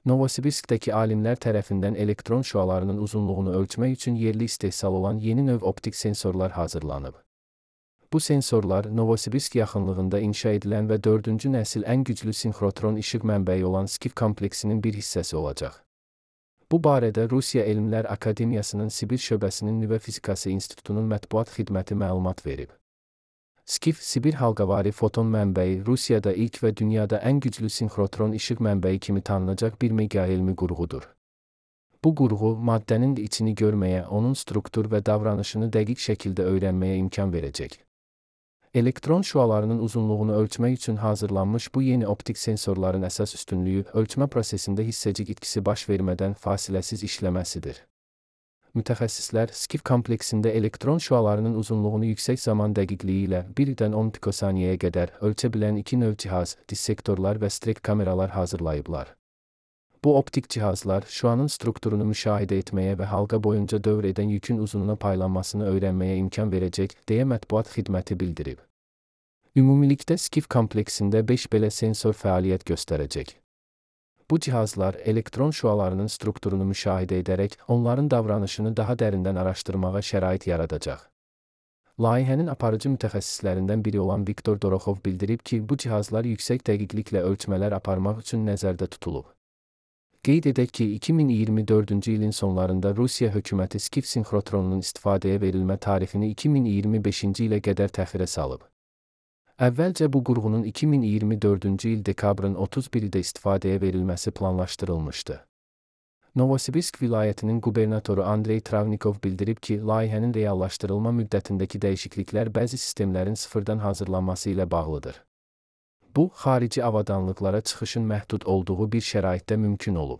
Novosibirskdəki alimlər tərəfindən elektron şüalarının uzunluğunu ölçmək üçün yerli istehsal olan yeni növ optik sensorlar hazırlanıb. Bu sensorlar Novosibirsk yaxınlığında inşa edilən və 4-cü nəsil ən güclü sinxrotron işıq mənbəyi olan SCIF kompleksinin bir hissəsi olacaq. Bu barədə Rusiya Elmlər Akademiyasının Sibir şöbəsinin Nüvə Fizikası İnstitutunun mətbuat xidməti məlumat verib. SCIF, Sibir halqavari foton mənbəyi Rusiyada ilk və dünyada ən güclü sinxrotron işıq mənbəyi kimi tanınacaq bir megaelmi qurğudur. Bu qurğu, maddənin içini görməyə, onun struktur və davranışını dəqiq şəkildə öyrənməyə imkan verəcək. Elektron şüalarının uzunluğunu ölçmək üçün hazırlanmış bu yeni optik sensorların əsas üstünlüyü, ölçmə prosesində hissəcik itkisi baş vermədən fasiləsiz işləməsidir. Mütəxəssislər, SCIF kompleksində elektron şüalarının uzunluğunu yüksək zaman dəqiqliyi ilə 1-dən 10 pikosaniyəyə qədər ölçə bilən 2 növ cihaz, dissektorlar və strek kameralar hazırlayıblar. Bu optik cihazlar, şüanın strukturunu müşahidə etməyə və halqa boyunca dövr edən yükün uzunluğuna paylanmasını öyrənməyə imkan verəcək, deyə mətbuat xidməti bildirib. Ümumilikdə SCIF kompleksində 5 belə sensor fəaliyyət göstərəcək. Bu cihazlar elektron şüalarının strukturunu müşahidə edərək, onların davranışını daha dərindən araşdırmağa şərait yaradacaq. Layihənin aparıcı mütəxəssislərindən biri olan Viktor Doroxov bildirib ki, bu cihazlar yüksək dəqiqliklə ölçmələr aparmaq üçün nəzərdə tutulub. Qeyd edək ki, 2024-cü ilin sonlarında Rusiya hökuməti SCIF sinxrotronunun istifadəyə verilmə tarixini 2025-ci ilə qədər təxirə salıb. Əvvəlcə bu qurğunun 2024-cü il dekabrın 31-də istifadəyə verilməsi planlaşdırılmışdı. Novosibirsk vilayətinin qubernatoru Andrey Travnikov bildirib ki, layihənin reallaşdırılma müddətindəki dəyişikliklər bəzi sistemlərin sıfırdan hazırlanması ilə bağlıdır. Bu, xarici avadanlıqlara çıxışın məhdud olduğu bir şəraitdə mümkün olub.